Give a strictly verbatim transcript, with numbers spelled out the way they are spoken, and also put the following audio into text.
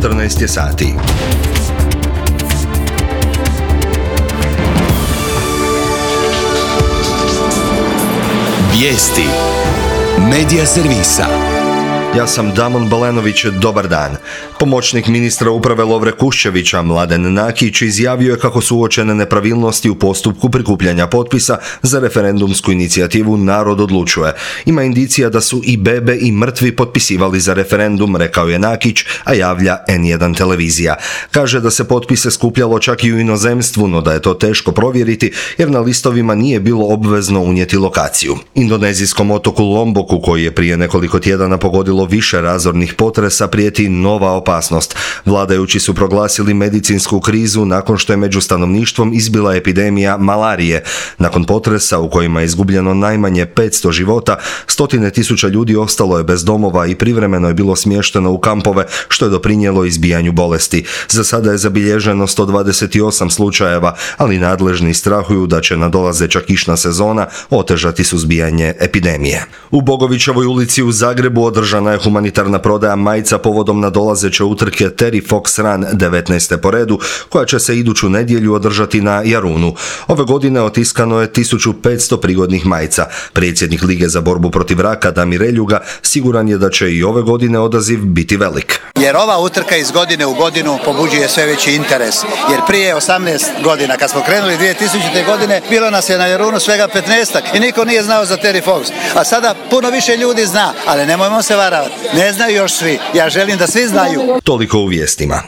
četrnaest je sati. Vijesti Medija servisa. Ja sam Damon Balenović, dobar dan. Pomoćnik ministra uprave Lovre Kuščevića, Mladen Nakić, izjavio je kako su uočene nepravilnosti u postupku prikupljanja potpisa za referendumsku inicijativu Narod odlučuje. Ima indicija da su i bebe i mrtvi potpisivali za referendum, rekao je Nakić, a javlja en jedan televizija. Kaže da se potpise skupljalo čak i u inozemstvu, no da je to teško provjeriti jer na listovima nije bilo obvezno unijeti lokaciju. Indonezijskom otoku Lomboku, koji je prije nekoliko tjedana pogodilo više razornih potresa, prijeti nova opasnost. Vladajući su proglasili medicinsku krizu nakon što je među stanovništvom izbila epidemija malarije. Nakon potresa u kojima je izgubljeno najmanje petsto života, stotine tisuća ljudi ostalo je bez domova i privremeno je bilo smješteno u kampove, što je doprinijelo izbijanju bolesti. Za sada je zabilježeno sto dvadeset osam slučajeva, ali nadležni strahuju da će nadolazeća kišna sezona otežati suzbijanje epidemije. U Bogovićevoj ulici u Zagrebu održana je humanitarna prodaja majica povodom nadolazeće utrke Terry Fox Run devetnaeste po redu, koja će se iduću nedjelju održati na Jarunu. Ove godine otiskano je tisuću petsto prigodnih majica. Predsjednik Lige za borbu protiv raka Damir Eljuga siguran je da će i ove godine odaziv biti velik. Jer ova utrka iz godine u godinu pobuđuje sve veći interes. Jer prije osamnaest godina, kad smo krenuli dvije tisućite. godine, bilo nas je na Jarunu svega petnaestak i niko nije znao za Terry Fox. A sada puno više ljudi zna, ali nemojmo se varavati. Ne znaju još svi. Ja želim da svi znaju. Toliko u vijestima.